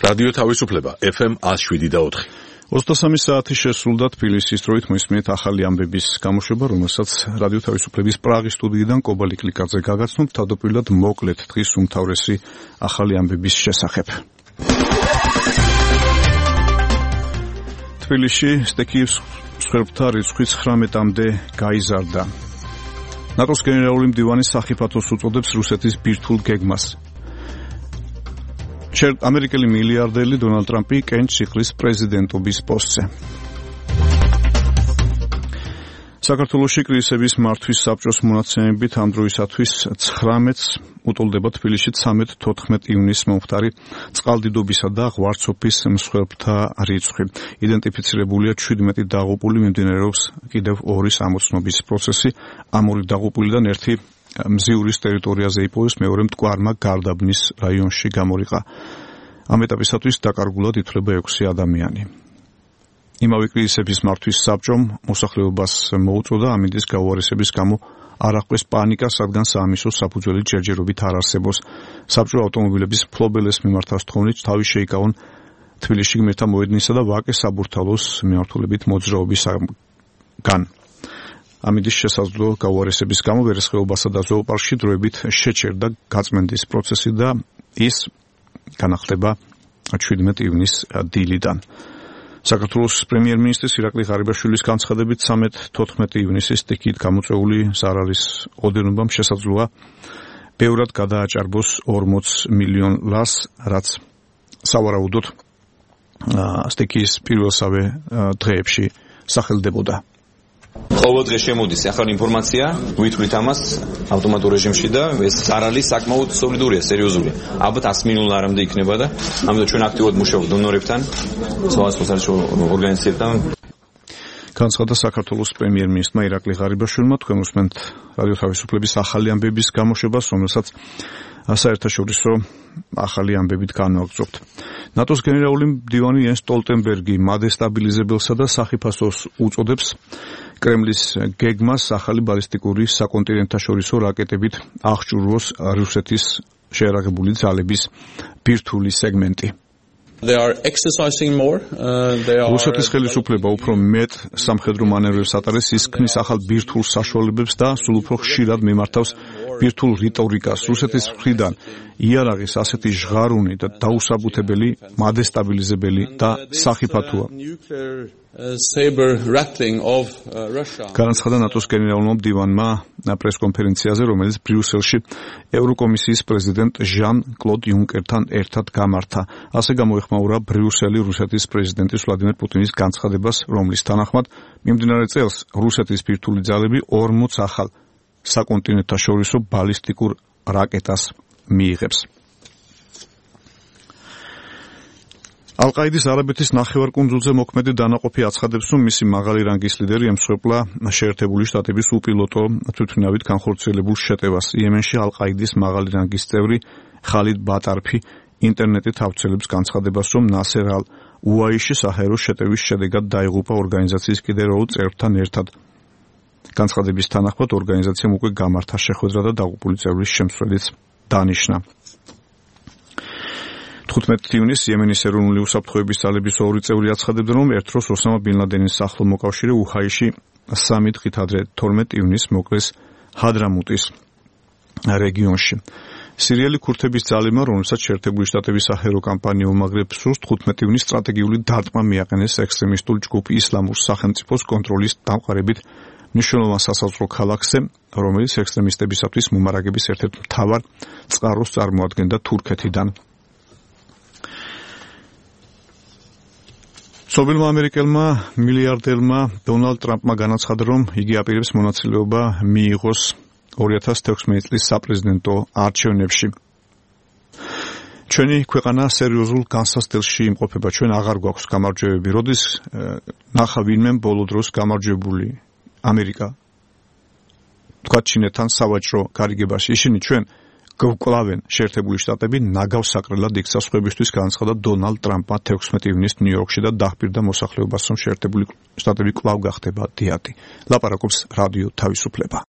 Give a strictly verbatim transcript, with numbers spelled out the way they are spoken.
რადიო თავისუფლება ეფ ემ one oh seven point four. ოცდასამი საათი შესრულდა თბილისის დროით მოისმინეთ ახალი ამბების გამოშვება, რომელსაც რადიო თავისუფლების პრაღის სტუდიიდან კობალი კლიკაძე გაგაცნობ, თავდაპირველად მოკლედ დღის უმთავრესი ახალი ამბების შესახებ. თბილისში სტექის მსხვერპლთა რიცხვი ცხრამეტამდე გაიზარდა. ნატოს გენერალური მდივანი სახიფათოს უწოდებს რუსეთის ბირთვულ გეგმას. ამერიკელი მილიარდელი დონალდ ტრამპი კენჭს იხლის პრეზიდენტობის პოსტზე. საქართველოში კრიზისების მართვის საბჭოს მონაცემებით ამ დროისათვის ცხრამეტს უტოლდება თბილისში ცხრამეტ-თოთხმეტ ივნისს მომხდარი წყალდიდობისა და ღვარცოფის მსხვერპლთა რიცხვი. იდენტიფიცირებულია შვიდმეტი დაღუპული, მიმდინარეობს კიდევ ორის ამოცნობის პროცესი. ამ ორი დაღუპულიდან ერთი მზიურის ტერიტორიაზე იპოვეს, მეორე მტკვარმა გარდაბნის რაიონში გამორიყა. ამ ეტაპისათვის დაკარგულად ითვლება ექვსი ადამიანი. იმავე კრიზისების მართვის საბჭომ მოსახლეობას მოუწოდა ამინდის გაუარესების გამო არ აღკვეს პანიკა, სადგან საამისო საფუძველი ჯერჯერობით არ არსებობს. საბჭო ავტომობილების მფლობელებს მიმართავს თხოვნით თავი შეიკავონ თბილისში გმირთა მოედნისა და ვაკეს საბურთალოს მიმართულებით მოძრაობისგან. ამინდის შესაძლო გაუარესების გამო ვერცხეობასა და ზოოპარკში დროებით შეჩერდა გაწმენდის პროცესი და ის განახლდება შვიდმეტ ივნისს დილიდან. საქართველოს პრემიერ-მინისტრის ირაკლი ღარიბაშვილის განცხადებით ცხრამეტ-თოთხმეტ ივნისის სტიქით გამოწვეული ზარალის ოდენობამ შესაძლოა ბევრად გადააჭარბოს ორმოც მილიონ ლარს, რაც სავარაუდოდ სტიქის პირველსავე დღეებში სახელდებოდა. ყოველ დღე შემოდის ახალი ინფორმაცია, ვითვლით ამას ავტომატურ რეჟიმში და ეს ზარალი საკმაოდ სოლიდურია, სერიოზულია. ალბათ one hundred ლარამდე იქნება და ამიტომ ჩვენ აქტიურად მუშაობთ დონორებთან, სხვადასხვა საერთაშორისო ორგანიზაციებთან. განცხადა საქართველოს პრემიერ-მინისტრმა ირაკლი ღარიბაშვილმა. თქვენ უსმენთ რადიო თავისუფლების ახალი ამბების გამოშვებას, რომელსაც საერთაშორისო ახალი ამბებით განვაგრძობთ. ნატოს გენერალური მდივანი იენს სტოლტენბერგი მადესტაბილიზებელსა და სახიფათოს უწოდებს კრემლის გეგმას ახალი ბალისტიკური საკონტინენტთაშორისო რაკეტებით აღჭურვოს რუსეთის შეერაგებული ძალების ბირთვული სეგმენტი. They are exercising more. Uh, they are რუსეთის ხელისუფლება უფრო მეტ სამხედრო მანევრებს ატარებს, ის ქმნის ახალ ბირთვულ საშუალებებს და სულ უფრო ხშირად მიმართავს ბირთვულ რიტორიკას. რუსეთის მხრიდან იარაღის ასეთი ჟღარუნი და დაუსაბუთებელი, მადესტაბილიზებელი და სახიფათოა. განაცხადა ნატოს გენერალურმა მდივანმა პრესკონფერენციაზე, რომელიც ბრიუსელში ევროკომისიის პრეზიდენტ ჟან-კლოდ იუნკერთან ერთად გამართა. ასე გამოეხმაურა ბრიუსელი რუსეთის პრეზიდენტის ვლადიმერ პუტინის განცხადებას, რომლის თანახმად მიმდინარე წელს რუსეთის ბირთვული ძალები ორმოც ახალ საკონტინენტთაშორისო ბალისტიკურ რაკეტას მიიღებს. ალ-ყაიდის არაბეთის ნახევარკუნძულზე მოქმედი დანაყოფი აცხადებს, რომ მისი მაღალი რანგის ლიდერი ემსხვერპლა შეერთებული შტატების უპილოტო თვითმფრინავით განხორციელებულ შეტევას. იემენში ალ-ყაიდის მაღალი რანგის წევრი ხალიდ ბატარფი ინტერნეტით ავრცელებს განცხადებას, რომ ნასერ ალ-უაიში საჰაერო შეტევის შედეგად დაიღუპა ორგანიზაციის კიდევ ორ წევრთან ერთად. განცხადების თანახმად ორგანიზაციამ უკვე გამართა შეხვედრა და დაღუპული წევრის შემცვლელიც დანიშნა. თხუთმეტ ივნისს იემენის ეროვნული უსაფრთხოების ძალების ორი წევრი აცხადებდნენ, რომ ერთ დროს ოსამა ბინ ლადენის ახლო მოკავშირე უჰაიში სამი დღით ადრე თორმეტ ივნისს მოკლეს ჰადრამუტის რეგიონში. სირიელი ქურთების ძალებმა, რომელსაც შეერთებული შტატების საჰაერო კამპანია უმაგრებს სურს, თხუთმეტ ივნისს სტრატეგიული დარტყმა მიაყენეს ექსტრემისტულ ჯგუფ ისლამურ სახელმწიფოს კონტროლის დამყარებით მნიშვნელოვან სასაზღვრო ქალაქზე, რომელიც ექსტრემისტებისათვის მომარაგების ერთ-ერთ მთავარ წყაროს წარმოადგენდა თურქეთიდან. ცნობილმა ამერიკელმა მილიარდერმა დონალდ ტრამპმა განაცხადა, რომ იგი აპირებს მონაწილეობა მიიღოს ორი ათას თექვსმეტი წლის საპრეზიდენტო არჩევნებში. ჩვენი ქვეყანა სერიოზულ განსასწრებში იმყოფება, ჩვენ აღარ გვაქვს გამარჯვებები. როდის ნახა ვინმე ბოლო დროს გამარჯვებული ამერიკა თქვა ჩინეთთან სავაჭრო გარიგებაში, ისინი ჩვენ გვკლავენ შეერთებული შტატები ნაგავს საკრელად იქცა სხვებისთვის, განაცხადა დონალდ ტრამპმა თექვსმეტი ივნისს ნიუ-იორკში და დაჰპირდა მოსახლეობას, რომ შეერთებული შტატები კვლავ გახდება დიადი. ლაპარაკობს რადიო თავისუფლება.